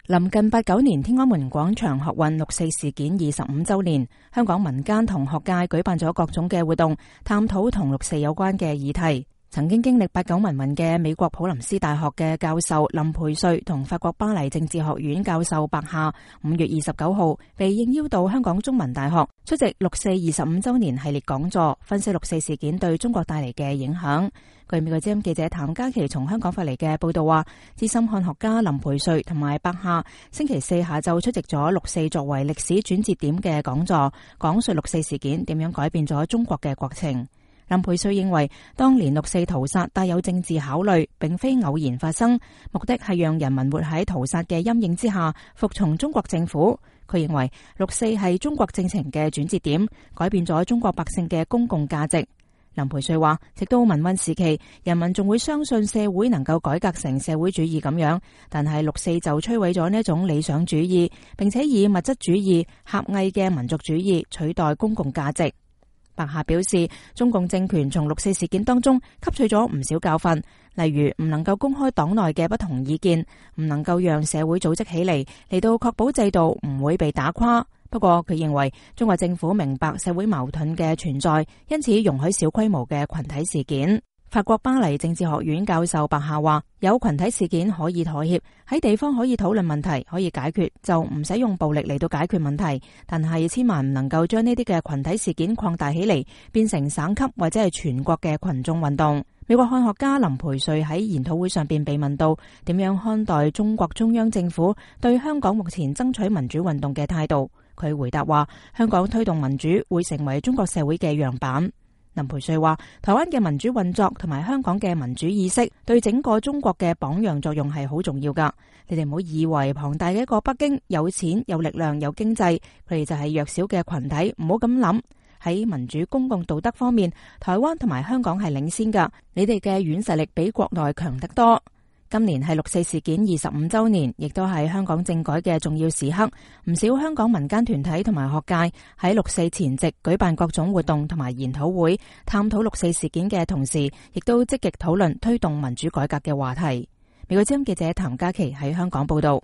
臨近89年天安門廣場學運六四事件25週年，香港民間同學界舉辦咗各種嘅活動，探討同六四有關嘅議題。曾經經歷89民運嘅美國普林斯大學嘅教授林培瑞同法國巴黎政治學院教授白夏5月29號被應邀到香港中文大學出席六四25週年系列講座，分析六四事件對中國帶嚟嘅影響。據美國之音記者譚嘉琪從香港發嚟嘅報道話，資深漢學家林培瑞同埋白夏星期四下晝出席咗六四作為歷史轉折點嘅講座，講述六四事件點樣改變咗中國嘅國情。林培瑞認為，當年六四屠殺帶有政治考慮，並非偶然發生，目的係讓人民活喺屠殺嘅陰影之下，服從中國政府。佢認為六四係中國政情嘅轉折點，改變咗中國百姓嘅公共價值。林培瑞話，直到民運時期，人民仲會相信社會能夠改革成社會主義咁樣，但係六四就摧毀咗呢一種理想主義，並且以物質主義、狹隘嘅民族主義取代公共價值。白夏表示，中共政權從六四事件當中吸取咗唔少教訓，例如唔能夠公開黨內嘅不同意見，唔能夠讓社會組織起嚟到確保制度唔會被打垮。不過佢認為中國政府明白社會矛盾嘅存在，因此容許小規模嘅群體事件。法國巴黎政治學院教授白夏話，有群體事件可以妥協，喺地方可以討論問題，可以解決，就唔使用暴力嚟到解決問題。但係千萬唔能夠將呢啲嘅群體事件擴大起嚟，變成省級或者係全國嘅群眾運動。美國漢學家林培瑞喺研討會上邊被問到點樣看待中國中央政府對香港目前爭取民主運動嘅態度，佢回答話，香港推動民主會成為中國社會嘅樣板。林培瑞話，台灣嘅民主運作同埋香港嘅民主意識對整個中國嘅榜樣作用係好重要噶。你哋唔好以為龐大嘅一個北京有錢有力量有經濟，佢哋就係弱小嘅群體，唔好咁諗。喺民主公共道德方面，台灣同埋香港係領先噶，你哋嘅軟實力比國內強得多。今年係六四事件25週年，亦都係香港政改嘅重要時刻。唔少香港民間團體同埋學界喺六四前夕舉辦各種活動同埋研討會，探討六四事件嘅同時，亦都積極討論推動民主改革嘅話題。美國之音記者譚嘉琪喺香港報道。